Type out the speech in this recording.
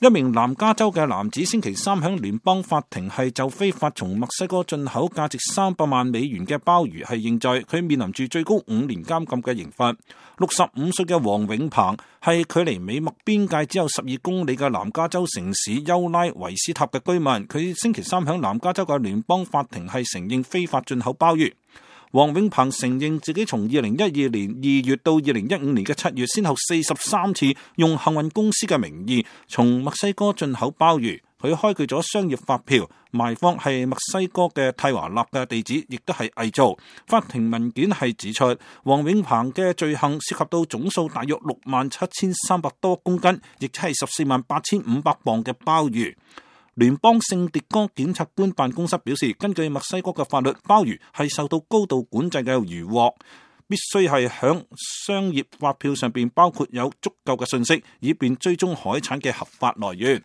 一名南加州嘅男子星期三響聯邦法庭係就非法從墨西哥進口價值300萬美元嘅鮑魚係認罪，佢面臨住最高5年監禁嘅刑罰。65歲嘅黃永鵬係距離美墨邊界只有12公里嘅南加州城市休拉維斯塔嘅居民，佢星期三響南加州嘅聯邦法庭係承認非法進口鮑魚。黃永鵬承認自己從2012年2月到2015年嘅7月，先後43次用幸運公司嘅名義從墨西哥進口鮑魚。佢開具咗商業發票，賣方係墨西哥嘅泰華納嘅地址，亦都係偽造。法庭文件係指出，黃永鵬嘅罪行涉及到總數大約67,300多公斤，亦即係148500磅嘅鮑魚。聯邦聖迭戈檢察官辦公室表示，根據墨西哥嘅法律，鮑魚係受到高度管制嘅漁獲，必須係響商業發票上邊包括有足夠嘅信息，以便追蹤海產嘅合法來源。